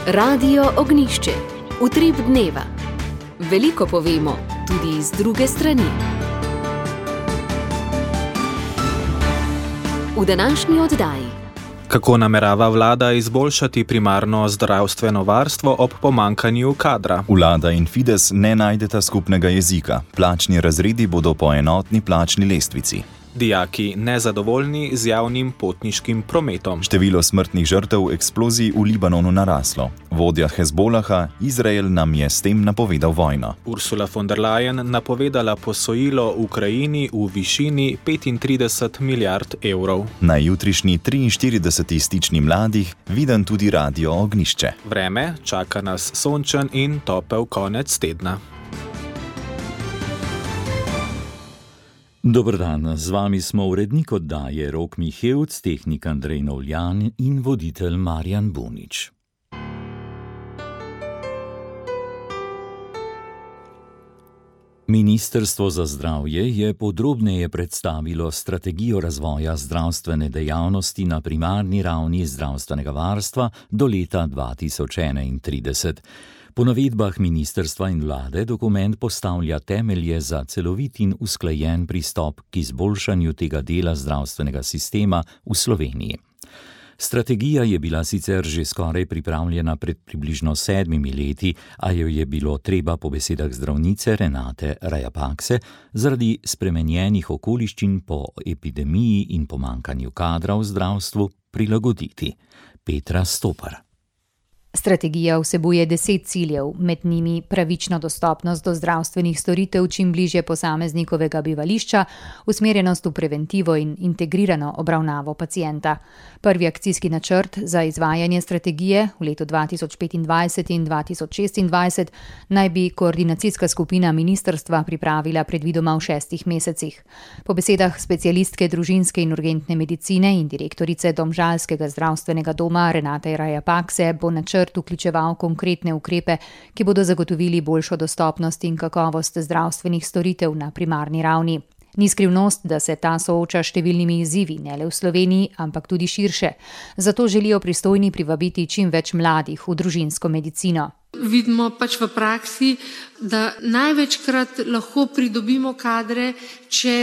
Radio Ognišče, utrip dneva. Veliko povemo, tudi z druge strani. V današnji oddaji. Kako namerava vlada izboljšati primarno zdravstveno varstvo ob pomanjkanju kadra? Vlada in Fides ne najdeta skupnega jezika. Plačni razredi bodo po enotni plačni lestvici. Dijaki nezadovoljni z javnim potniškim prometom. Število smrtnih žrtev eksplozij v Libanonu naraslo. Vodja Hezbolaha, Izrael nam je s tem napovedal vojno. Ursula von der Leyen napovedala posojilo Ukrajini v višini 35 milijard evrov. Na jutrišnji 43. stični mladih viden tudi Radio Ognišče. Vreme čaka nas sončen in topel konec tedna. Dober dan, z vami smo urednik oddaje Rok Mihevc, tehnik Andrej Novljan in voditelj Marjan Bunič. Ministrstvo za zdravje je podrobneje predstavilo strategijo razvoja zdravstvene dejavnosti na primarni ravni zdravstvenega varstva do leta 2031. Po navedbah ministrstva in vlade dokument postavlja temelje za celovit in usklajen pristop k izboljšanju tega dela zdravstvenega sistema v Sloveniji. Strategija je bila sicer že skoraj pripravljena pred približno 7 leti, a jo je bilo treba po besedah zdravnice Renate Rajapakse zaradi spremenjenih okoliščin po epidemiji in pomanjkanju kadra v zdravstvu prilagoditi. Petra Stopar. Strategija vsebuje 10 ciljev, med njimi pravična dostopnost do zdravstvenih storitev čim bližje posameznikovega bivališča, usmerjenost v preventivo in integrirano obravnavo pacienta. Prvi akcijski načrt za izvajanje strategije v letu 2025 in 2026 naj bi koordinacijska skupina ministrstva pripravila predvidoma v 6 mesecih. Po besedah specialistke družinske in urgentne medicine in direktorice Domžalskega zdravstvenega doma Renate Rajapakse bo načrt vključeval konkretne ukrepe, ki bodo zagotovili boljšo dostopnost in kakovost zdravstvenih storitev na primarni ravni. Ni skrivnost, da se ta sooča s številnimi izzivi, ne le v Sloveniji, ampak tudi širše. Zato želijo pristojni privabiti čim več mladih v družinsko medicino. Vidimo pač v praksi, da največkrat lahko pridobimo kadre, če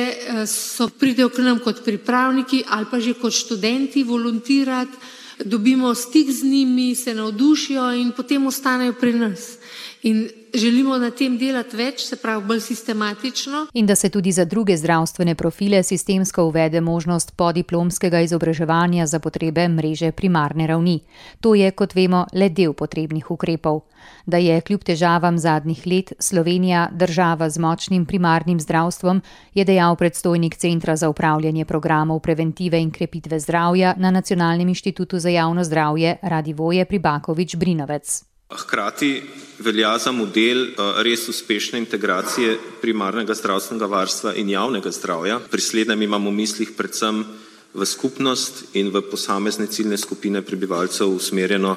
pridejo k nam kot pripravniki ali pa že kot študenti volontirati, dobimo stik z njimi, se navdušijo in potem ostanejo pri nas. In želimo na tem delati več, se pravi bolj sistematično. In da se tudi za druge zdravstvene profile sistemsko uvede možnost podiplomskega izobraževanja za potrebe mreže primarne ravni. To je, kot vemo, le del potrebnih ukrepov. Da je kljub težavam zadnjih let Slovenija država z močnim primarnim zdravstvom, je dejal predstojnik Centra za upravljanje programov preventive in krepitve zdravja na Nacionalnem inštitutu za javno zdravje Radivoje Pribakovič-Brinovec. Hkrati velja za model res uspešne integracije primarnega zdravstvenega varstva in javnega zdravja. Pri slednjem imamo v mislih predvsem v skupnost in v posamezne ciljne skupine prebivalcev usmerjeno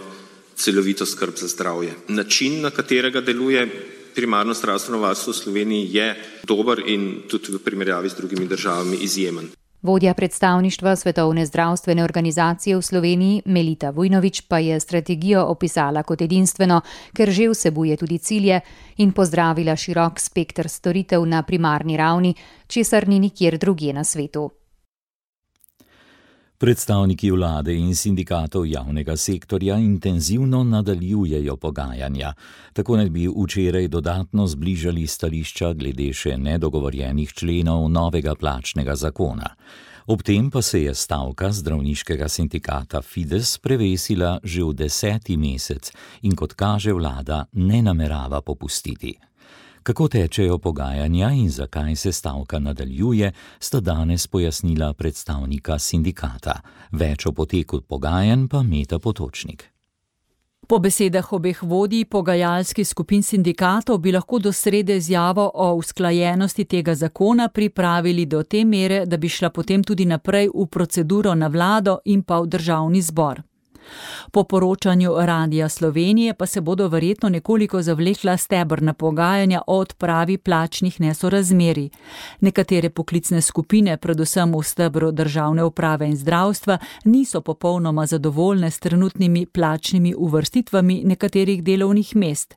celovito skrb za zdravje. Način, na katerega deluje primarno zdravstveno varstvo v Sloveniji, je dober in tudi v primerjavi z drugimi državami izjemen. Vodja predstavništva Svetovne zdravstvene organizacije v Sloveniji Melita Vujnović pa je strategijo opisala kot edinstveno, ker že vsebuje tudi cilje in pozdravila širok spekter storitev na primarni ravni, česar ni nikjer drugje na svetu. Predstavniki vlade in sindikatov javnega sektorja intenzivno nadaljujejo pogajanja. Tako naj bi včeraj dodatno zbližali stališča glede še nedogovorjenih členov novega plačnega zakona. Ob tem pa se je stavka zdravniškega sindikata Fides prevesila že v 10. mesec in kot kaže vlada ne namerava popustiti. Kako tečejo pogajanja in zakaj se stavka nadaljuje, sta danes pojasnila predstavnika sindikata. Več o poteku pogajanj pa Meta Potočnik. Po besedah obeh vodij pogajalskih skupin sindikatov bi lahko do srede izjavo o usklajenosti tega zakona pripravili do te mere, da bi šla potem tudi naprej v proceduro na vlado in pa v državni zbor. Po poročanju Radia Slovenije pa se bodo verjetno nekoliko zavlekla stebrna pogajanja o odpravi plačnih nesorazmerij. Nekatere poklicne skupine, predvsem v stebru državne uprave in zdravstva, niso popolnoma zadovoljne s trenutnimi plačnimi uvrstitvami nekaterih delovnih mest.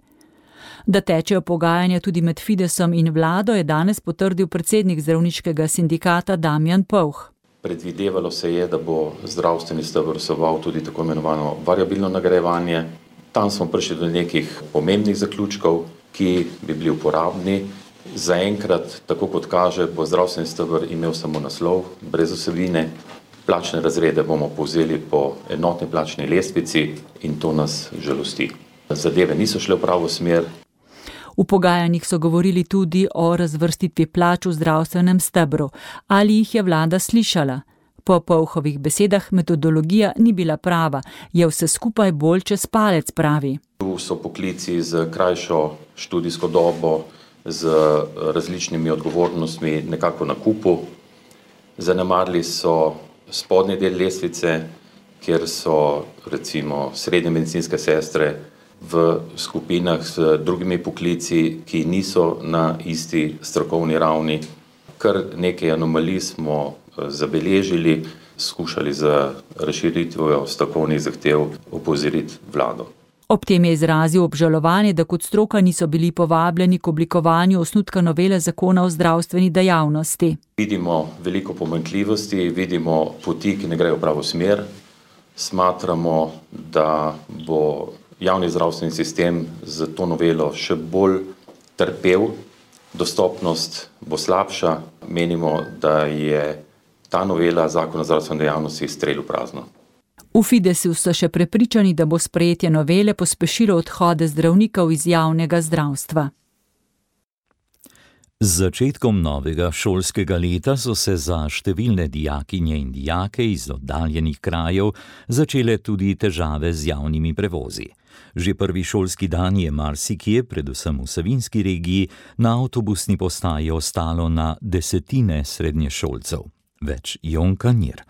Da tečejo pogajanja tudi med Fidesom in vlado, je danes potrdil predsednik zdravniškega sindikata Damjan Povh. Predvidevalo se je, da bo zdravstveni steber vseboval tudi tako imenovano variabilno nagrajevanje. Tam smo prišli do nekih pomembnih zaključkov, ki bi bili uporabni. Zaenkrat, tako kot kaže, bo zdravstveni steber imel samo naslov, brez vsebine. Plačne razrede bomo povzeli po enotni plačni lestvici in to nas žalosti. Zadeve niso šle v pravo smer. V pogajanjih so govorili tudi o razvrstitvi plač v zdravstvenem stebru. Ali jih je vlada slišala? Po Povhovih besedah metodologija ni bila prava, je vse skupaj bolj čez palec, pravi. Tu so poklici z krajšo študijsko dobo, z različnimi odgovornostmi nekako na kupu. Zanemarili so spodnji del lestvice, kjer so recimo srednje medicinske sestre v skupinah z drugimi poklici, ki niso na isti strokovni ravni. Kar nekaj anomalij smo zabeležili, skušali za razširitvijo strokovnih zahtev opozoriti vlado. Ob tem je izrazil obžalovanje, da kot stroka niso bili povabljeni k oblikovanju osnutka novele zakona o zdravstveni dejavnosti. Vidimo veliko pomanjkljivosti, vidimo poti, ki ne grejo v pravo smer. Smatramo, da bo javni zdravstveni sistem z to novelo še bolj trpel, dostopnost bo slabša. Menimo, da je ta novela zakona o zdravstveni dejavnosti strel v prazno. V Fidesu so še prepričani, da bo sprejetje novele pospešilo odhode zdravnikov iz javnega zdravstva. Z začetkom novega šolskega leta so se za številne dijakinje in dijake iz oddaljenih krajev začele tudi težave z javnimi prevozi. Že prvi šolski dan je marsikje, predvsem v Savinjski regiji, na avtobusni postaji ostalo na desetine srednješolcev. Več Jonka Nir.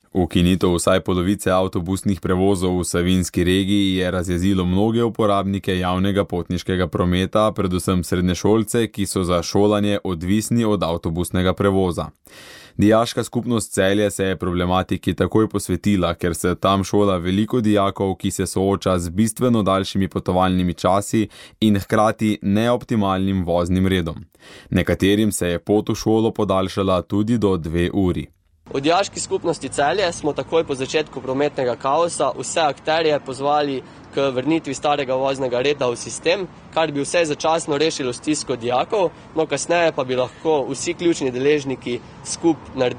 Ukinitev vsaj polovice avtobusnih prevozov v Savinjski regiji je razjezilo mnoge uporabnike javnega potniškega prometa, predvsem srednješolce, ki so za šolanje odvisni od avtobusnega prevoza. Dijaška skupnost Celje se je problematiki takoj posvetila, ker se tam šola veliko dijakov, ki se sooča z bistveno daljšimi potovalnimi časi in hkrati neoptimalnim voznim redom. Nekaterim se je pot v šolo podaljšala tudi do 2 uri. V dijaški skupnosti Celje smo takoj po začetku prometnega kaosa vse akterje pozvali k vrnitvi starega voznega reda v sistem, kar bi vse začasno rešilo stisko dijakov, no kasneje pa bi lahko vsi ključni deležniki skupaj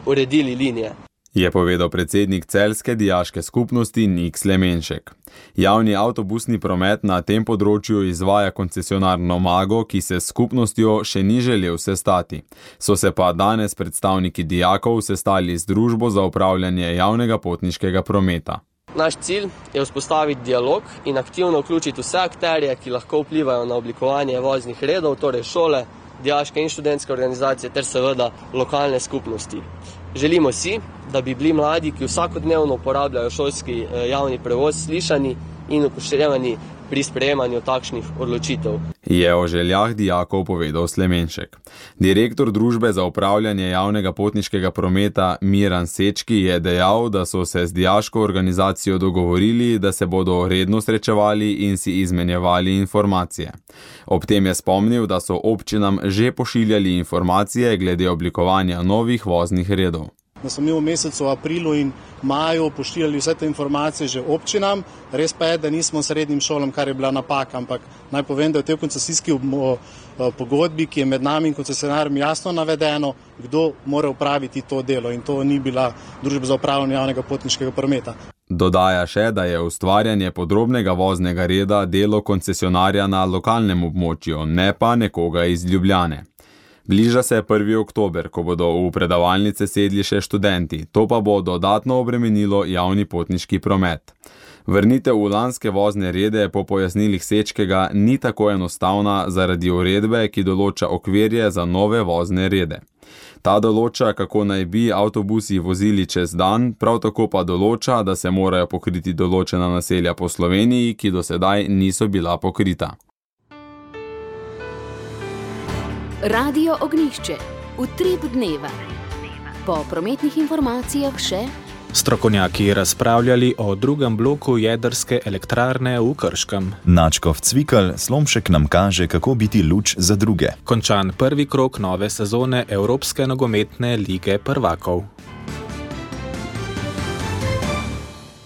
uredili linije. Je povedal predsednik celjske dijaške skupnosti Nik Slemenšek. Javni avtobusni promet na tem področju izvaja koncesionar Nomago, ki se s skupnostjo še ni želel sestati. So se pa danes predstavniki dijakov sestali z družbo za upravljanje javnega potniškega prometa. Naš cilj je vzpostaviti dialog in aktivno vključiti vse akterje, ki lahko vplivajo na oblikovanje voznih redov, torej šole, dijaške in študentske organizacije ter seveda lokalne skupnosti. Želimo si, da bi bili mladi, ki vsakodnevno uporabljajo šolski javni prevoz, slišani in upoštevani pri sprejemanju takšnih odločitev. Je o željah dijakov povedal Slemenšek. Direktor družbe za upravljanje javnega potniškega prometa Miran Sečki je dejal, da so se z dijaško organizacijo dogovorili, da se bodo redno srečevali in si izmenjevali informacije. Ob tem je spomnil, da so občinam že pošiljali informacije glede oblikovanja novih voznih redov. Da smo mi v mesecu aprilu in maju pošiljali vse te informacije že občinam. Res pa je, da nismo srednjim šolam, kar je bila napaka, ampak naj povem, da je v tej koncesijski pogodbi, ki je med nami in koncesionarjem jasno navedeno, kdo mora upraviti to delo in to ni bila družba za upravljanje javnega potniškega prometa. Dodaja še, da je ustvarjanje podrobnega voznega reda delo koncesionarja na lokalnem območju, ne pa nekoga iz Ljubljane. Bliža se 1. oktober, ko bodo v predavalnice sedli še študenti, to pa bo dodatno obremenilo javni potniški promet. Vrnitev v lanske vozne rede po pojasnilih Sečkega ni tako enostavna zaradi uredbe, ki določa okvirje za nove vozne rede. Ta določa, kako naj bi avtobusi vozili čez dan, prav tako pa določa, da se morajo pokriti določena naselja po Sloveniji, ki do sedaj niso bila pokrita. Radio Ognjišče. Utrip dneva. Po prometnih informacijah še strokovnjaki razpravljali o drugem bloku jedrske elektrarne v Krškem. Načkov Cvikl, Slomšek nam kaže, kako biti luč za druge. Končan prvi krog nove sezone Evropske nogometne lige prvakov.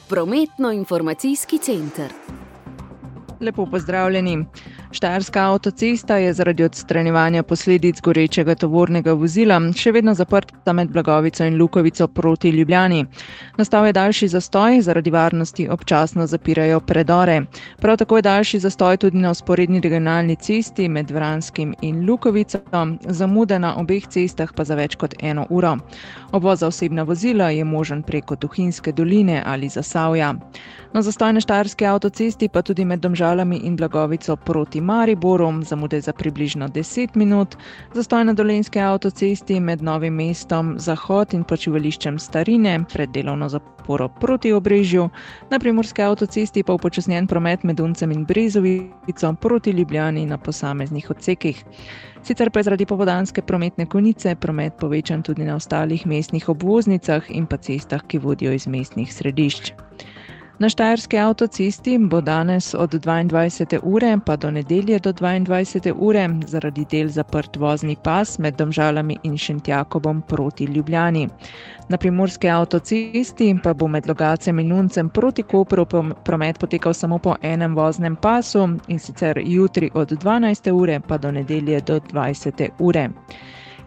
Prometno-informacijski center. Lepo pozdravljeni. Štajerska avtocesta je zaradi odstranjevanja posledic gorečega tovornega vozila še vedno zaprta med Blagovico in Lukovico proti Ljubljani. Nastal je daljši zastoj, zaradi varnosti občasno zapirajo predore. Prav tako je daljši zastoj tudi na vzporedni regionalni cesti med Vranskim in Lukovico, zamude na obeh cestah pa za več kot 1 uro. Obvoz za osebna vozila je možen preko Tuhinjske doline ali Zasavja. Na zastoj na štajerski avtocesti pa tudi med Domžalami in Blagovico proti Mariboru, zamude za približno 10 minut, zastoj na Dolenjski avtocesti med Novim mestom Zahod in počivališčem Starine pred delovno zaporo proti Obrežju, na Primorski avtocesti pa upočasnjen promet med Uncem in Brezovico proti Ljubljani na posameznih odsekih. Sicer pa je zaradi popoldanske prometne konice promet povečan tudi na ostalih mestnih obvoznicah in pa cestah, ki vodijo iz mestnih središč. Na štajerski avtocesti bo danes od 22. ure pa do nedelje do 22. ure zaradi del zaprt vozni pas med Domžalami in Šentjakobom proti Ljubljani. Na primorski avtocesti pa bo med Logacem in Uncem proti Kopru promet potekal samo po enem voznem pasu, in sicer jutri od 12. ure pa do nedelje do 20. ure.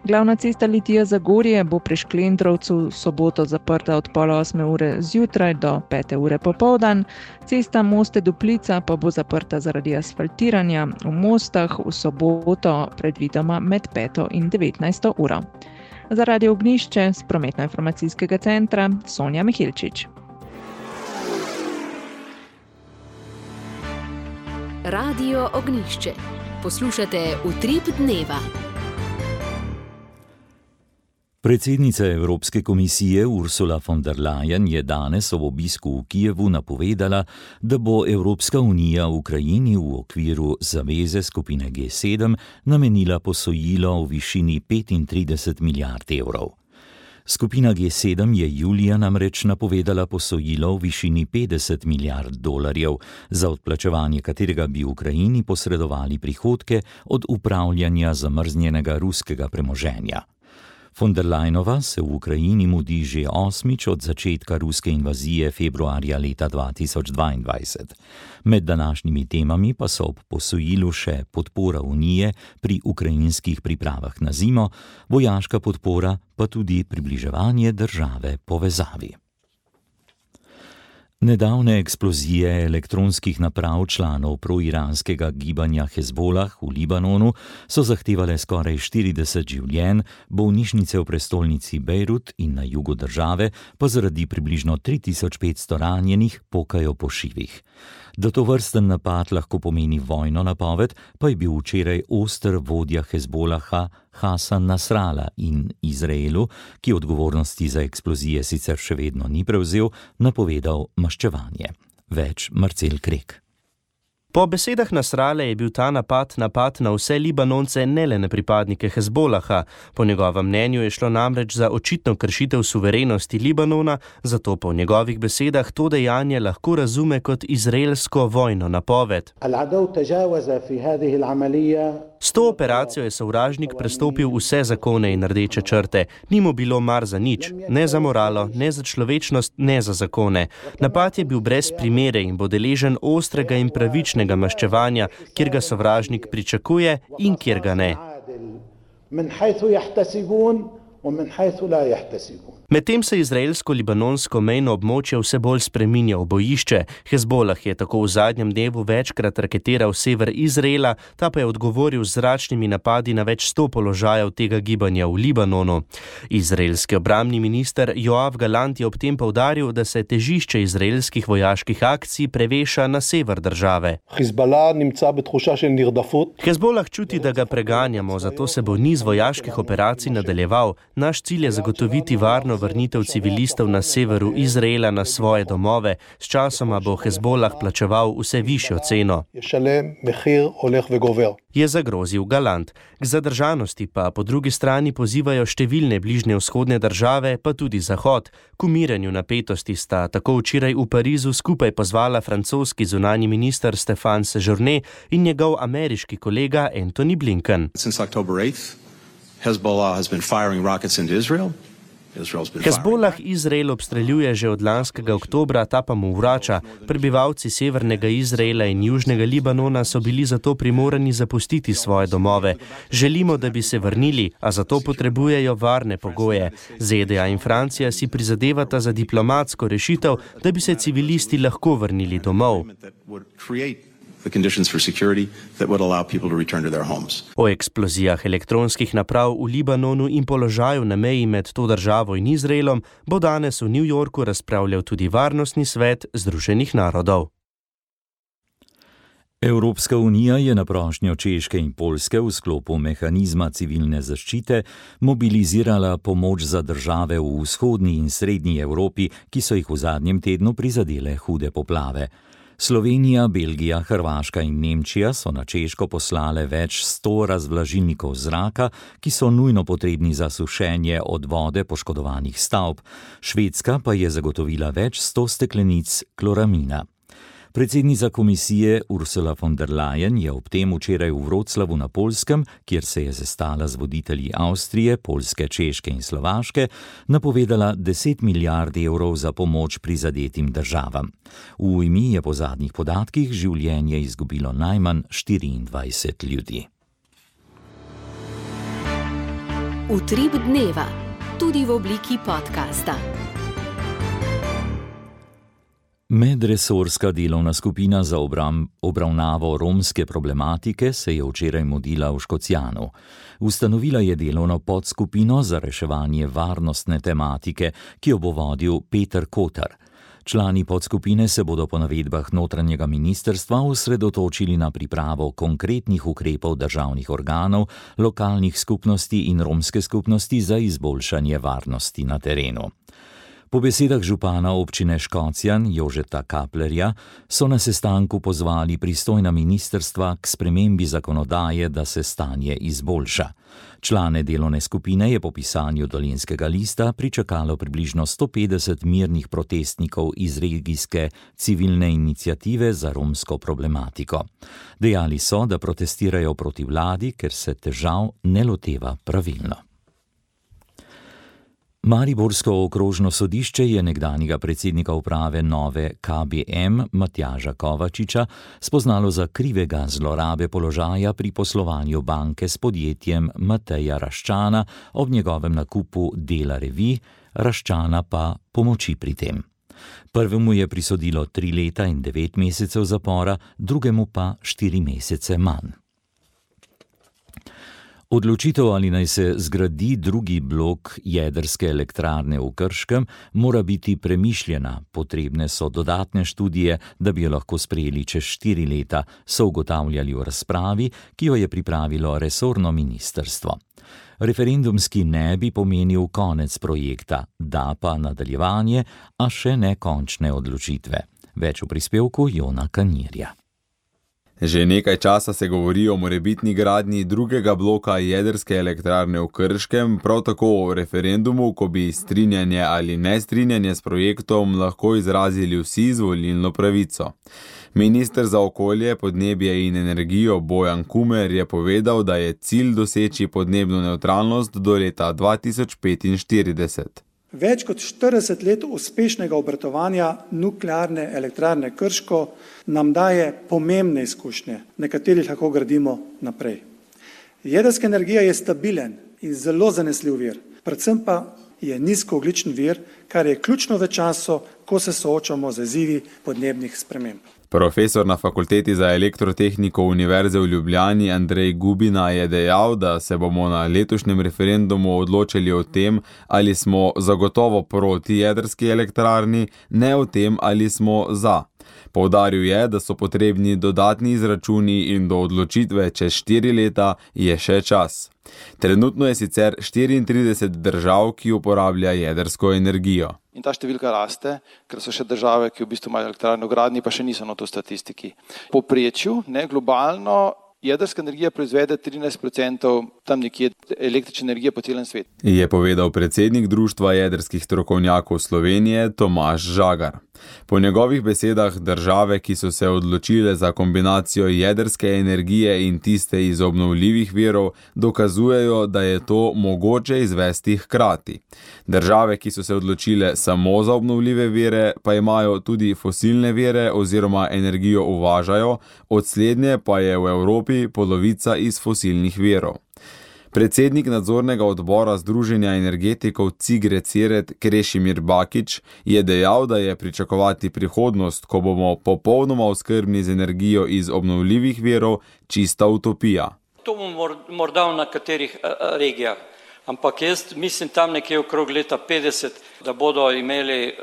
Glavna cesta Litija-Zagorje bo pri Šklendrovcu v soboto zaprta od 7:30 ure zjutraj do 5. ure popoldan. Cesta Moste-Duplica pa bo zaprta zaradi asfaltiranja v Mostah v soboto predvidoma med 5. in 19. uro. Za Radio Ognjišče z prometno-informacijskega centra Sonja Mihilčič. Radio Ognjišče. Poslušate Utrip dneva. Predsednica Evropske komisije Ursula von der Leyen je danes ob obisku v Kijevu napovedala, da bo Evropska unija Ukrajini v okviru zaveze skupine G7 namenila posojilo v višini 35 milijard evrov. Skupina G7 je julija namreč napovedala posojilo v višini 50 milijard dolarjev, za odplačevanje katerega bi Ukrajini posredovali prihodke od upravljanja zamrznjenega ruskega premoženja. Von der Leyenova se v Ukrajini mudi že 8. od začetka ruske invazije februarja leta 2022. Med današnjimi temami pa so ob posojilu še podpora Unije pri ukrajinskih pripravah na zimo, vojaška podpora pa tudi približevanje države povezavi. Nedavne eksplozije elektronskih naprav članov proiranskega gibanja Hezbolah v Libanonu so zahtevale skoraj 40 življenj, bolnišnice v prestolnici Bejrut in na jugu države pa zaradi približno 3500 ranjenih pokajo po šivih. Da tovrsten napad lahko pomeni vojno napoved, pa je bil včeraj oster vodja Hezbolaha Hasan Nasrallah in Izraelu, ki odgovornosti za eksplozije sicer še vedno ni prevzel, napovedal maščevanje. Več Marcel Krek. Po besedah Nasrallah je bil ta napad na vse Libanonce, ne le na pripadnike Hezbolaha. Po njegovem mnenju je šlo namreč za očitno kršitev suverenosti Libanona, zato po njegovih besedah to dejanje lahko razume kot izraelsko vojno napoved. S to operacijo je sovražnik prestopil vse zakone in rdeče črte. Ni mu bilo mar za nič, ne za moralo, ne za človečnost, ne za zakone. Napad je bil brez primere in bo deležen ostrega in pravičnega maščevanja, kjer ga sovražnik pričakuje in kjer ga ne. Medtem se izraelsko-libanonsko mejno območje vse bolj spreminja v bojišče. Hezbolah je tako v zadnjem dnevu večkrat raketiral sever Izraela, ta pa je odgovoril z zračnimi napadi na več 100 položajev tega gibanja v Libanonu. Izraelski obrambni minister Joav Galant je ob tem poudaril, da se težišče izraelskih vojaških akcij preveša na sever države. Hezbolah čuti, da ga preganjamo, zato se bo niz vojaških operacij nadaljeval. Naš cilj je zagotoviti varno vrnitev civilistov na severu Izraela na svoje domove. S časoma bo Hezbolah plačeval vse višjo ceno. Je zagrozil Galant. K zadržanosti pa po drugi strani pozivajo številne bližnje vzhodne države, pa tudi Zahod. K umiranju napetosti sta tako včeraj v Parizu skupaj pozvala francoski zunanji minister Stéphane Séjourné in njegov ameriški kolega Antony Blinken. Hezbolah Izrael obstreljuje že od lanskega oktobra, ta pa mu vrača. Prebivalci severnega Izraela in južnega Libanona so bili zato primorani zapustiti svoje domove. Želimo, da bi se vrnili, a zato potrebujejo varne pogoje. ZDA in Francija si prizadevata za diplomatsko rešitev, da bi se civilisti lahko vrnili domov. O eksplozijah elektronskih naprav v Libanonu in položaju na meji med to državo in Izraelom bo danes v New Yorku razpravljal tudi Varnostni svet Združenih narodov. Evropska unija je na prošnjo Češke in Poljske v sklopu mehanizma civilne zaščite mobilizirala pomoč za države v vzhodni in srednji Evropi, ki so jih v zadnjem tednu prizadele hude poplave. Slovenija, Belgija, Hrvaška in Nemčija so na Češko poslale več 100 razvlažilnikov zraka, ki so nujno potrebni za sušenje od vode poškodovanih stavb. Švedska pa je zagotovila več 100 steklenic kloramina. Predsednica komisije Ursula von der Leyen je ob tem včeraj v Wroclawu na Poljskem, kjer se je sestala z voditelji Avstrije, Poljske, Češke in Slovaške, napovedala 10 milijard evrov za pomoč prizadetim državam. V Ujmi je po zadnjih podatkih življenje izgubilo najmanj 24 ljudi. Utrip dneva, tudi v obliki podcasta. Medresorska delovna skupina za obravnavo romske problematike se je včeraj mudila v Škocjanu. Ustanovila je delovno podskupino za reševanje varnostne tematike, ki jo bo vodil Peter Kotar. Člani podskupine se bodo po navedbah notranjega ministrstva osredotočili na pripravo konkretnih ukrepov državnih organov, lokalnih skupnosti in romske skupnosti za izboljšanje varnosti na terenu. Po besedah župana občine Škocjan Jožeta Kaplerja so na sestanku pozvali pristojna ministrstva k spremembi zakonodaje, da se stanje izboljša. Člane delovne skupine je po pisanju Dolenjskega lista pričakalo približno 150 mirnih protestnikov iz regijske civilne iniciative za romsko problematiko. Dejali so, da protestirajo proti vladi, ker se težav ne loteva pravilno. Mariborsko okrožno sodišče je nekdanjega predsednika uprave Nove KBM Matjaža Kovačiča spoznalo za krivega zlorabe položaja pri poslovanju banke s podjetjem Mateja Raščana ob njegovem nakupu dela revij, Raščana pa pomoči pri tem. Prvemu je prisodilo 3 leta in 9 mesecev zapora, drugemu pa 4 mesece manj. Odločitev, ali naj se zgradi drugi blok jedrske elektrarne v Krškem, mora biti premišljena. Potrebne so dodatne študije, da bi jo lahko sprejeli čez 4 leta, so ugotavljali v razpravi, ki jo je pripravilo resorno ministrstvo. Referendumski ne bi pomenil konec projekta, da pa nadaljevanje, a še ne končne odločitve. Več v prispevku Jona Kanirja. Že nekaj časa se govori o morebitni gradnji drugega bloka jedrske elektrarne v Krškem, prav tako o referendumu, ko bi strinjanje ali nestrinjanje s projektom lahko izrazili vsi z volilno pravico. Minister za okolje, podnebje in energijo Bojan Kumer je povedal, da je cilj doseči podnebno nevtralnost do leta 2045. Več kot 40 let uspešnega obratovanja nuklearne elektrarne Krško nam daje pomembne izkušnje, na katerih lahko gradimo naprej. Jedrska energija je stabilen in zelo zanesljiv vir, predvsem pa je nizkoogljični vir, kar je ključno v času, ko se soočamo z izzivi podnebnih sprememb. Profesor na Fakulteti za elektrotehniko Univerze v Ljubljani Andrej Gubina je dejal, da se bomo na letošnjem referendumu odločili o tem, ali smo zagotovo proti jedrski elektrarni, ne o tem, ali smo za. Poudaril je, da so potrebni dodatni izračuni in do odločitve čez 4 leta je še čas. Trenutno je sicer 34 držav, ki uporablja jedrsko energijo. In ta številka raste, ker so še države, ki v bistvu imajo elektrarne v gradnji, pa še niso na to statistiki. Po povprečju, globalno, jedrska energija proizvede 13% tam nekje električne energije po celem svetu. Je povedal predsednik Društva jedrskih strokovnjakov Slovenije Tomaž Žagar. Po njegovih besedah države, ki so se odločile za kombinacijo jedrske energije in tiste iz obnovljivih virov, dokazujejo, da je to mogoče izvesti hkrati. Države, ki so se odločile samo za obnovljive vire, pa imajo tudi fosilne vire oziroma energijo uvažajo, od slednje pa je v Evropi polovica iz fosilnih virov. Predsednik nadzornega odbora Združenja energetikov Cigre Ciret Krešimir Bakić je dejal, da je pričakovati prihodnost, ko bomo popolnoma oskrbni z energijo iz obnovljivih virov, čista utopija. To bomo morda v nekaterih regijah, ampak jaz mislim tam nekje okrog leta 50, da bodo imeli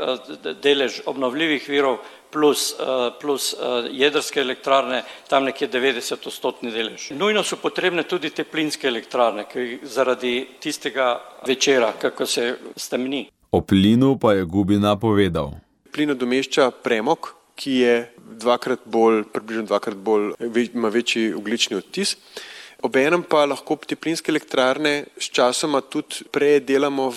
delež obnovljivih virov plus jedrske elektrarne, tam nekje 90% delež. Nujno so potrebne tudi te plinske elektrarne, ki zaradi tistega večera, kako se stemni. O plinu pa je Gubina povedal. Plin nadomešča premog, ki je približno dvakrat bolj, ima večji ogljični odtis. Obenem pa lahko te plinske elektrarne s časoma tudi predelamo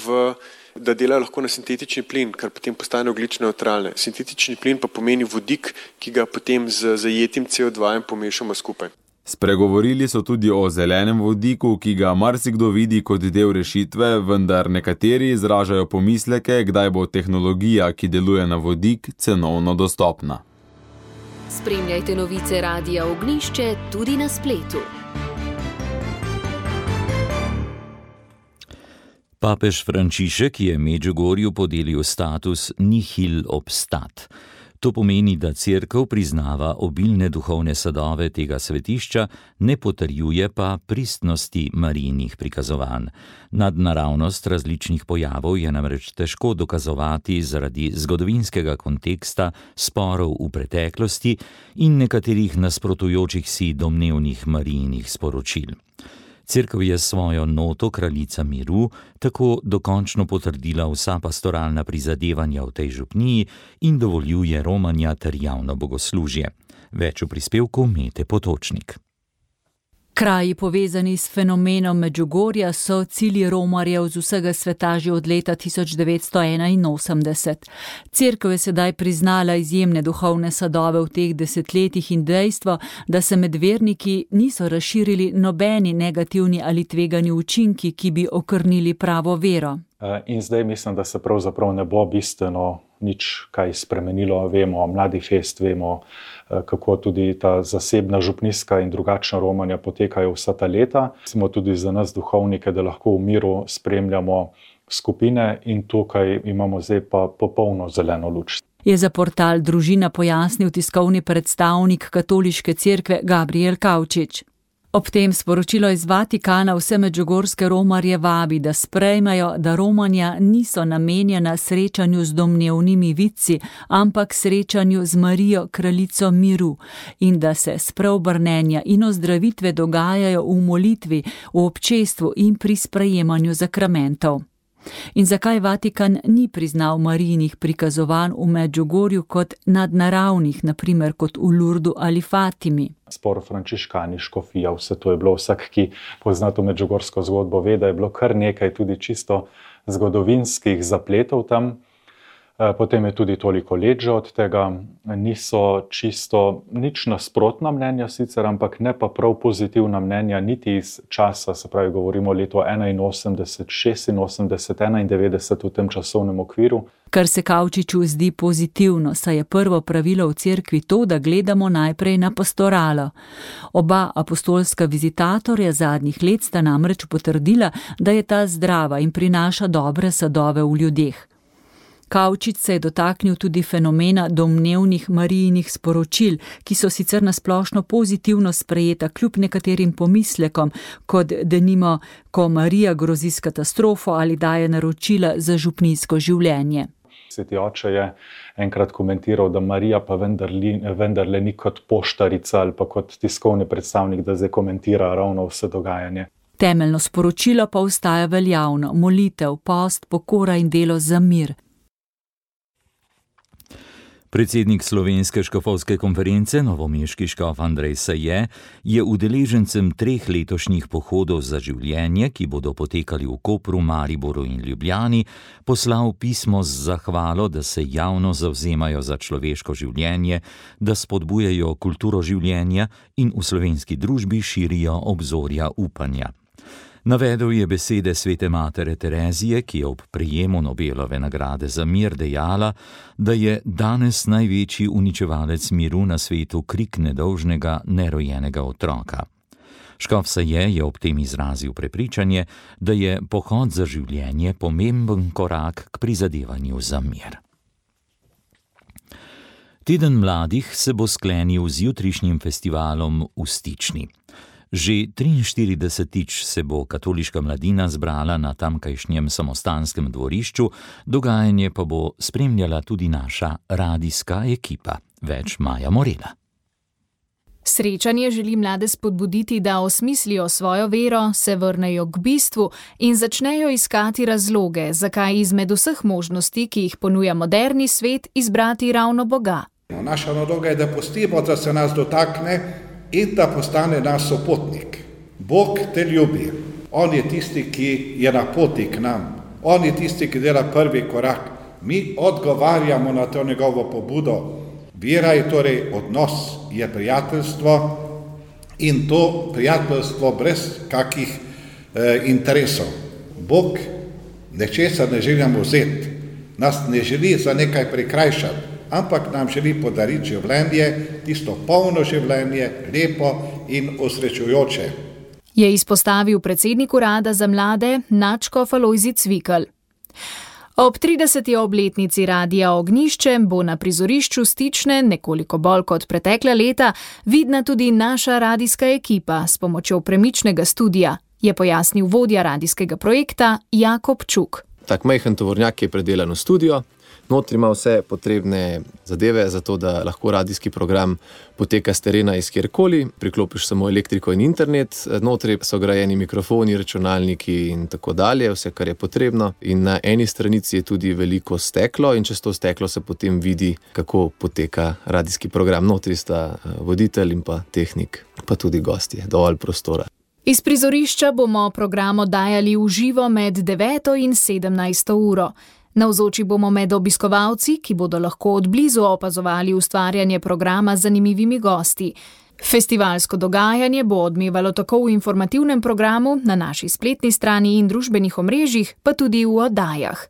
da delajo lahko na sintetični plin, kar potem postane ogljično nevtralne. Sintetični plin pa pomeni vodik, ki ga potem z zajetim CO2 pomešamo skupaj. Spregovorili so tudi o zelenem vodiku, ki ga marsikdo vidi kot del rešitve, vendar nekateri izražajo pomisleke, kdaj bo tehnologija, ki deluje na vodik, cenovno dostopna. Spremljajte novice Radia Ognjišče tudi na spletu. Papež Frančišek je Medžugorju podelil status nihil obstat. To pomeni, da Cerkev priznava obilne duhovne sadove tega svetišča, ne potrjuje pa pristnosti Marijinih prikazovanj. Nadnaravnost različnih pojavov je namreč težko dokazovati zaradi zgodovinskega konteksta, sporov v preteklosti in nekaterih nasprotujočih si domnevnih Marijinih sporočil. Cerkev je svojo noto Kraljica miru tako dokončno potrdila vsa pastoralna prizadevanja v tej župniji in dovoljuje romanja ter javno bogoslužje. Več v prispevku Mete Potočnik. Kraji povezani s fenomenom Medžugorja so cilji romarjev z vsega sveta že od leta 1981. Cerkev je sedaj priznala izjemne duhovne sadove v teh desetletjih in dejstvo, da se med verniki niso razširili nobeni negativni ali tvegani učinki, ki bi okrnili pravo vero. In zdaj mislim, da se pravzaprav ne bo bistveno nič kaj spremenilo. Vemo, Mladi fest, vemo, kako tudi ta zasebna župnijska in drugačna romanja potekajo vsa ta leta. Smo tudi za nas duhovnike, da lahko v miru spremljamo skupine in tukaj imamo zdaj pa popolno zeleno luč. Je za portal Družina pojasnil tiskovni predstavnik Katoliške cerkve Gabriel Kavčič. Ob tem sporočilo iz Vatikana vse medžugorske romarje vabi, da sprejmejo, da romanja niso namenjena srečanju z domnevnimi vidci, ampak srečanju z Marijo, kraljico miru, in da se spreobrnenja in ozdravitve dogajajo v molitvi, v občestvu in pri sprejemanju zakramentov. In zakaj Vatikan ni priznal Marijinih prikazovanj v Medžugorju kot nadnaravnih, naprimer kot v Lurdu ali Fatimi? Spor frančiškani, škofija, vse to je bilo, vsak, ki pozna to medžugorsko zgodbo, ve, da je bilo kar nekaj tudi čisto zgodovinskih zapletov tam. Potem je tudi toliko let že od tega, niso čisto nič nasprotna mnenja sicer, ampak ne pa prav pozitivna mnenja niti iz časa, se pravi govorimo leto 81, 86, 91 v tem časovnem okviru. Kar se Kavčiču zdi pozitivno, saj je prvo pravilo v cerkvi to, da gledamo najprej na pastoralo. Oba apostolska vizitatorja zadnjih let sta namreč potrdila, da je ta zdrava in prinaša dobre sadove v ljudeh. Kavčič se je dotaknil tudi fenomena domnevnih Marijinih sporočil, ki so sicer nasplošno pozitivno sprejeta kljub nekaterim pomislekom, kot denimo, ko Marija grozi s katastrofo ali daje naročila za župnijsko življenje. Sveti oče je enkrat komentiral, da Marija pa vendarle ni kot poštarica ali pa kot tiskovni predstavnik, da zdaj komentira ravno vse dogajanje. Temeljno sporočilo pa ostaja veljavno: molitev, post, pokora in delo za mir. Predsednik Slovenske škofovske konference, novomeški škof Andrej Saje, je udeležencem 3 letošnjih pohodov za življenje, ki bodo potekali v Kopru, Mariboru in Ljubljani, poslal pismo z zahvalo, da se javno zavzemajo za človeško življenje, da spodbujajo kulturo življenja in v slovenski družbi širijo obzorja upanja. Navedel je besede svete matere Terezije, ki je ob prejemu Nobelove nagrade za mir dejala, da je danes največji uničevalec miru na svetu krik nedolžnega, nerojenega otroka. Škof Saje je ob tem izrazil prepričanje, da je pohod za življenje pomemben korak k prizadevanju za mir. Teden mladih se bo sklenil z jutrišnjim festivalom v Stični. Že 43. se bo katoliška mladina zbrala na tamkajšnjem samostanskem dvorišču, dogajanje pa bo spremljala tudi naša radijska ekipa. Več Maja Morela. Srečanje želi mlade spodbuditi, da osmislijo svojo vero, se vrnejo k bistvu in začnejo iskati razloge, zakaj izmed vseh možnosti, ki jih ponuja moderni svet, izbrati ravno Boga. Naša naloga je, da pustimo, da se nas dotakne in da postane naš sopotnik. Bog te ljubi. On je tisti, ki je na poti k nam. On je tisti, ki dela prvi korak. Mi odgovarjamo na to njegovo pobudo. Vera je torej odnos, je prijateljstvo in to prijateljstvo brez kakih interesov. Bog nečesa ne želi nam vzeti. Nas ne želi za nekaj prikrajšati, ampak nam želi podariti življenje, tisto polno življenje, lepo in osrečujoče. Je izpostavil predsednik urada za mlade nadškof Alojzij Cvikl. Ob 30. obletnici Radia Ognjišče bo na prizorišču Stične, nekoliko bolj kot pretekla leta, vidna tudi naša radijska ekipa s pomočjo premičnega studia, je pojasnil vodja radijskega projekta Jakob Čuk. Tak majhen tovornjak je predelan v studio. Notri ima vse potrebne zadeve, zato da lahko radijski program poteka s terena iz kjerkoli, priklopiš samo elektriko in internet, notri so grajeni mikrofoni, računalniki in tako dalje, vse, kar je potrebno. In na eni stranici je tudi veliko steklo in čez to steklo se potem vidi, kako poteka radijski program. Notri sta voditelj in pa tehnik, pa tudi gostje, dovolj prostora. Iz prizorišča bomo program oddajali v živo med 9. in 17. uro. Navzoči bomo med obiskovalci, ki bodo lahko od blizu opazovali ustvarjanje programa z zanimivimi gosti. Festivalsko dogajanje bo odmevalo tako v informativnem programu, na naši spletni strani in družbenih omrežjih, pa tudi v oddajah.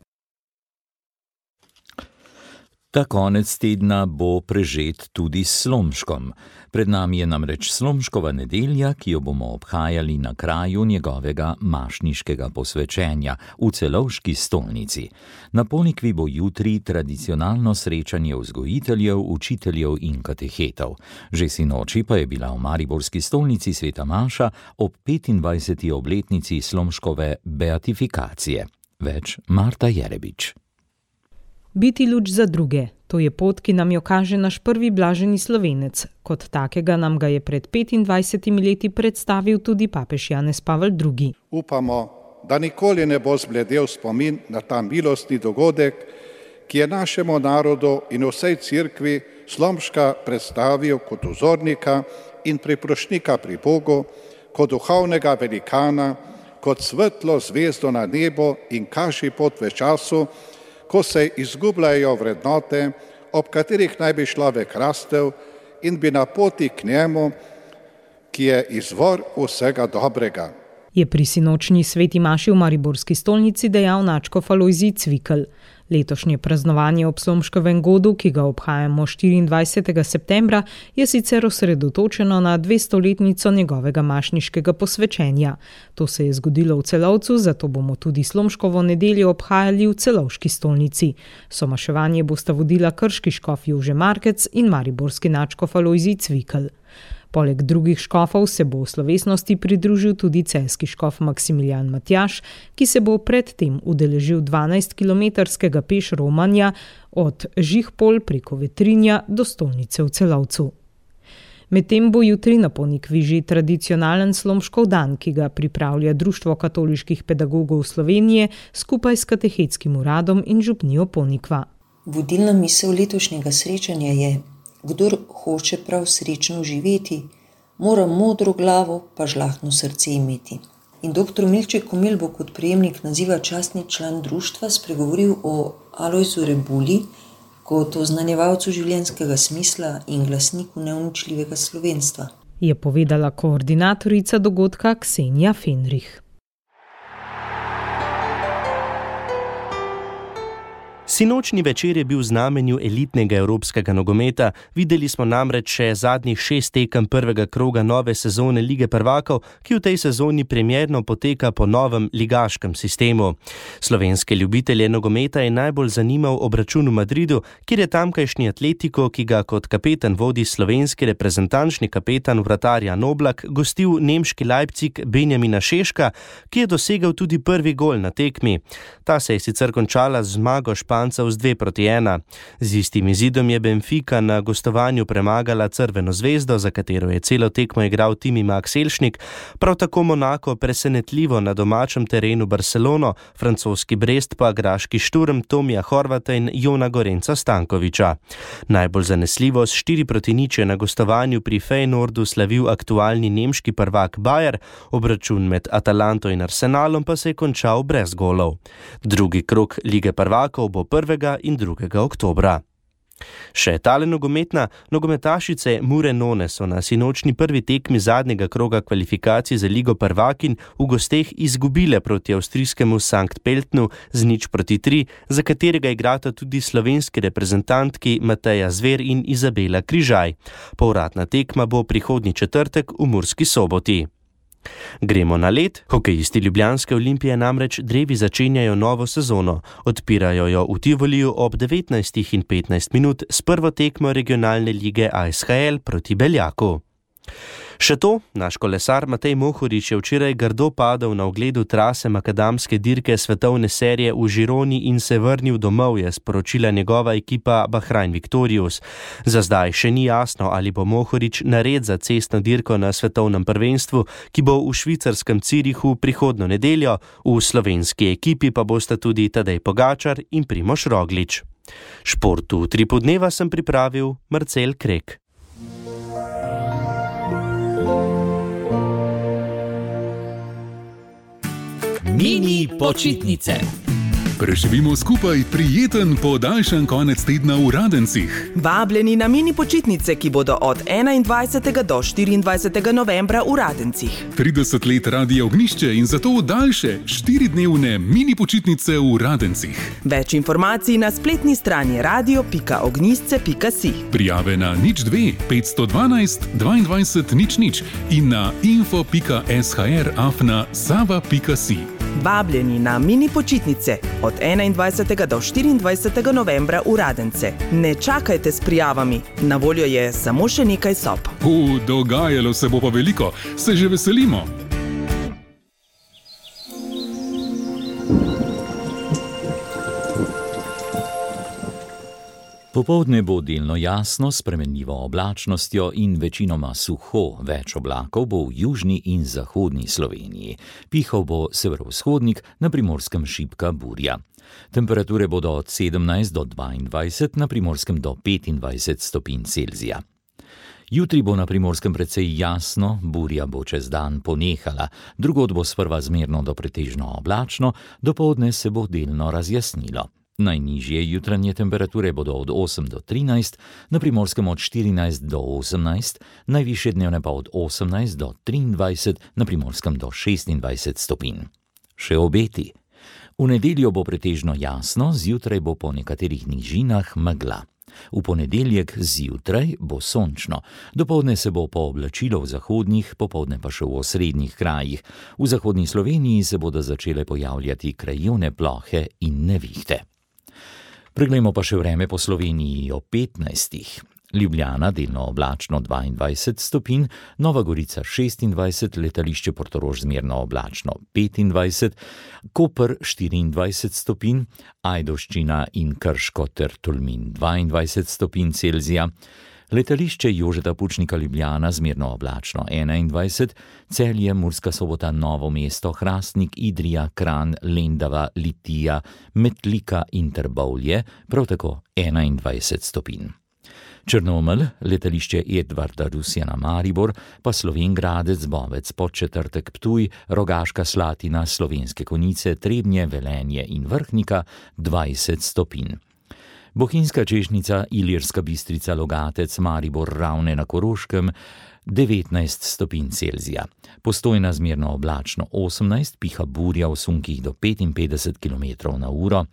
Ta konec tedna bo prežet tudi s slomškom. Pred nami je namreč slomškova nedelja, ki jo bomo obhajali na kraju njegovega mašniškega posvečenja v Celovški stolnici. Na Ponikvi bo jutri tradicionalno srečanje vzgojiteljev, učiteljev in katehetov. Že sinoči pa je bila v mariborski stolnici sveta maša ob 25. obletnici slomškove beatifikacije. Več Marta Jerebič. Biti luč za druge. To je pot, ki nam jo kaže naš prvi blaženi Slovenec. Kot takega nam ga je pred 25 leti predstavil tudi papež Janez Pavel II. Upamo, da nikoli ne bo zbledel spomin na ta milostni dogodek, ki je našemu narodu in vsej cerkvi Slomška predstavil kot vzornika in priprošnika pri Bogu, kot duhovnega velikana, kot svetlo zvezdo na nebu in kaži pot v času, ko se izgubljajo vrednote, ob katerih naj bi človek rastel in bi na poti k njemu, ki je izvor vsega dobrega. Je pri sinočnji sveti maši v mariborski stolnici dejal nadškof Alojzij Cvikl. Letošnje praznovanje ob Slomškovem godu, ki ga obhajamo 24. septembra, je sicer osredotočeno na 200-letnico njegovega mašniškega posvečenja. To se je zgodilo v Celovcu, zato bomo tudi Slomškovo nedeljo obhajali v Celovški stolnici. Somaševanje bosta vodila krški škof Jože Markec in mariborski nadškof Alojzij Cvikl. Poleg drugih škofov se bo v slovesnosti pridružil tudi celjski škof Maksimilijan Matjaž, ki se bo predtem udeležil 12-kilometrskega peš romanja od Žihpol preko Vetrinja do stolnice v Celovcu. Medtem bo jutri na Ponikviži tradicionalen Slomškov dan, ki ga pripravlja Društvo katoliških pedagogov Slovenije skupaj s katehetskim uradom in župnijo Ponikva. Vodilna misel letošnjega srečanja je: kdor hoče prav srečno živeti, mora modro glavo pa žlahtno srce imeti. In dr. Milče Komel bo kot prejemnik naziva častni član društva spregovoril o Alojzu Rebuli kot oznanjevalcu življenjskega smisla in glasniku neuničljivega slovenstva, je povedala koordinatorica dogodka Ksenija Fenrih. Sinočni večer je bil v znamenju elitnega evropskega nogometa, videli smo namreč še zadnjih 6 tekem prvega kroga nove sezone Lige prvakov, ki v tej sezoni premierno poteka po novem ligaškem sistemu. Slovenske ljubitelje nogometa je najbolj zanimal obračun v Madridu, kjer je tamkajšnji Atletico, ki ga kot kapetan vodi slovenski reprezentančni kapetan vratar Jan Oblak, gostil nemški Leipzig Benjamina Šeška, ki je dosegel tudi prvi gol na tekmi. Ta se je sicer končala z zmago Špancev z 2-1. Z istim izidom je Benfica na gostovanju premagala Crveno zvezdo, za katero je celo tekmo igral Timi Max Elšnik, prav tako Monako presenetljivo na domačem terenu Barcelono, francoski Brest pa graški Šturm Tomija Horvata in Jona Gorenca Stankoviča. Najbolj zanesljivo s 4-0 je na gostovanju pri Feyenoordu slavil aktualni nemški prvak Bayer, obračun med Atalanto in Arsenalom pa se je končal brez golov. Drugi krog Lige prvakov bo 1. in 2. oktobra. Še tale nogometna, nogometašice Mure None so na sinočni prvi tekmi zadnjega kroga kvalifikacij za Ligo prvakinj v gosteh izgubile proti avstrijskemu Sankt Pöltnu z 0-3, za katerega igrata tudi slovenski reprezentantki Mateja Zver in Izabela Križaj. Povratna tekma bo prihodnji četrtek v Murski Soboti. Gremo na led. Hokejisti Ljubljanske Olimpije namreč drevi začenjajo novo sezono. Odpirajo jo v Tivoliju ob 19:15 s prvo tekmo regionalne lige ASHL proti Beljaku. Še to, naš kolesar Matej Mohorič je včeraj grdo padel na ogledu trase makadamske dirke svetovne serije v Žironi in se vrnil domov, je sporočila njegova ekipa Bahrain Victorious. Za zdaj še ni jasno, ali bo Mohorič nared za cestno dirko na svetovnem prvenstvu, ki bo v švicarskem Zürichu prihodnjo nedeljo, v slovenski ekipi pa bosta tudi Tadej Pogačar in Primož Roglič. Športu 3 podneva sem pripravil Marcel Krek. Mini počitnice. Preživimo skupaj prijeten podaljšan konec tedna v Radencih. Vabljeni na mini počitnice, ki bodo od 21. do 24. novembra v Radencih. 30 let Radia Ognjišče in zato daljše 4-dnevne mini počitnice v Radencih. Več informacij na spletni strani radio.ognjisce.si. Prijave na 02 512 22 00 in na info.shr@sava.si. Vabljeni na mini počitnice od 21. do 24. novembra v Radence. Ne čakajte s prijavami, na voljo je samo še nekaj sob. Dogajalo se bo pa veliko, se že veselimo. Popoldne bo delno jasno, s spremenljivo oblačnostjo in večinoma suho, več oblakov bo v južni in zahodni Sloveniji. Pihal bo severovzhodnik, na Primorskem šibka burja. Temperature bodo od 17 do 22, na Primorskem do 25 stopinj Celzija. Jutri bo na Primorskem precej jasno, burja bo čez dan ponehala, drugod bo sprva zmerno do pretežno oblačno, dopoldne se bo delno razjasnilo. Najnižje jutranje temperature bodo od 8 do 13, na Primorskem od 14 do 18, najvišje dnevne pa od 18 do 23, na Primorskem do 26 stopinj. Še obeti. V nedeljo bo pretežno jasno, zjutraj bo po nekaterih nižinah megla. V ponedeljek zjutraj bo sončno, dopoldne se bo pooblačilo v zahodnih, popoldne pa še v osrednjih krajih. V zahodni Sloveniji se bodo začele pojavljati krajevne plohe in nevihte. Preglejmo pa še vreme po Sloveniji ob 15. Ljubljana delno oblačno 22 stopinj, Nova Gorica 26, letališče Portorož zmerno oblačno 25, Koper 24 stopinj, Ajdovščina in Krško ter Tolmin 22 stopinj Celzija, letališče Jožeta Pučnika Ljubljana zmerno oblačno 21, Celje, Murska Sobota, Novo mesto, Hrastnik, Idrija, Kranj, Lendava, Litija, Metlika in Trbovlje, prav tako 21 stopinj. Črnomelj, letališče Edvarda Rusjana Maribor, pa Slovenj Gradec, Bovec, Podčetrtek, Ptuj, Rogaška Slatina, Slovenske Konjice, Trebnje, Velenje in Vrhnika 20 stopinj. Bohinjska Češnica, Ilirska Bistrica, Logatec, Maribor, Ravne na Koroškem 19 stopinj Celzija. Postojna zmerno oblačno 18, piha burja v sunkih do 55 km/h,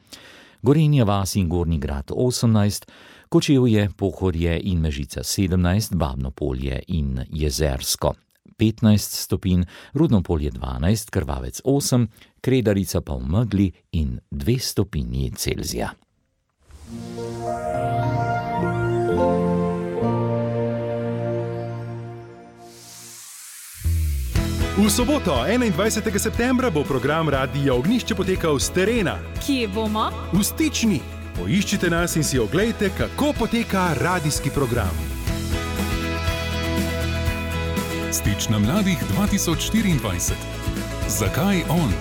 Gorenja vas in Gornji Grad 18, Kočevje, Pohorje in Mežica 17, Babno Polje in Jezersko 15 stopinj, Rudno Polje 12, Krvavec 8, Kredarica pa v megli in 2 stopinji Celzija. V soboto, 21. septembra, bo program Radia Ognjišče potekal s terena. Kje bomo? V Stični. Poiščite nas in si oglejte, kako poteka radijski program. Stična mladih 2024. Zakaj on?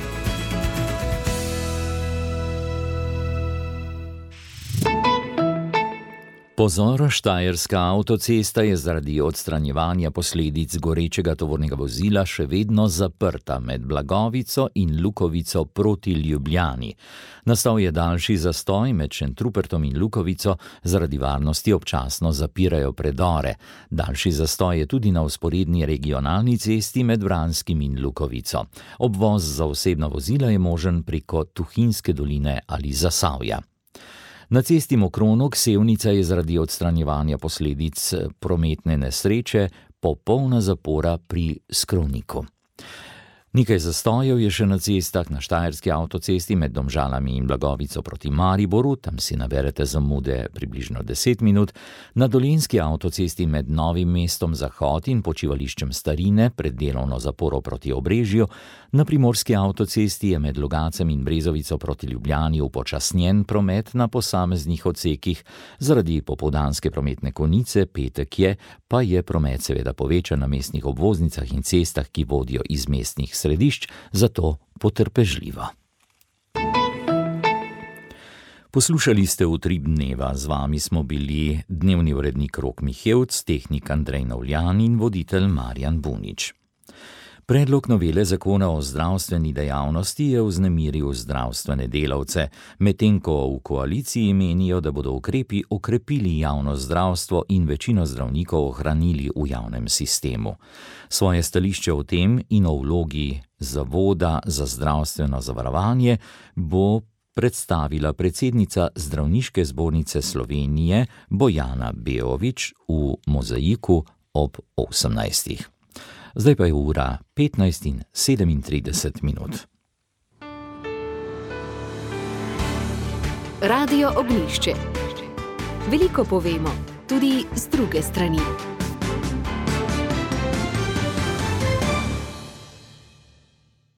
Pozor, štajerska avtocesta je zaradi odstranjevanja posledic gorečega tovornega vozila še vedno zaprta med Blagovico in Lukovico proti Ljubljani. Nastal je daljši zastoj med Šentrupertom in Lukovico, zaradi varnosti občasno zapirajo predore. Daljši zastoj je tudi na vzporedni regionalni cesti med Vranskim in Lukovico. Obvoz za osebna vozila je možen preko Tuhinjske doline ali Zasavja. Na cesti Mokronog Sevnica je zaradi odstranjevanja posledic prometne nesreče popolna zapora pri Skrovniku. Nekaj zastojev je še na cestah, na štajerski avtocesti med Domžalami in Blagovico proti Mariboru, tam si naberete zamude približno 10 minut, na dolenjski avtocesti med Novim mestom Zahod in počivališčem Starine pred delovno zaporo proti Obrežju, na primorski avtocesti je med Logacem in Brezovico proti Ljubljani upočasnjen promet na posameznih odsekih, zaradi popoldanske prometne konice petek je, pa je promet seveda povečan na mestnih obvoznicah in cestah, ki vodijo iz mestnih središč, zato potrpežljivo. Poslušali ste Utrip dneva, z vami smo bili dnevni urednik Rok Mihevc, tehnik Andrej Novljan in voditelj Marjan Bunič. Predlog novele zakona o zdravstveni dejavnosti je vznemiril zdravstvene delavce, medtem ko v koaliciji menijo, da bodo ukrepi okrepili javno zdravstvo in večino zdravnikov ohranili v javnem sistemu. Svoje stališče o tem in o vlogi Zavoda za zdravstveno zavarovanje bo predstavila predsednica Zdravniške zbornice Slovenije Bojana Beovič v Mozaiku ob 18. Zdaj pa je ura 15:37 minut. Radio Ognjišče. Veliko povemo, tudi z druge strani.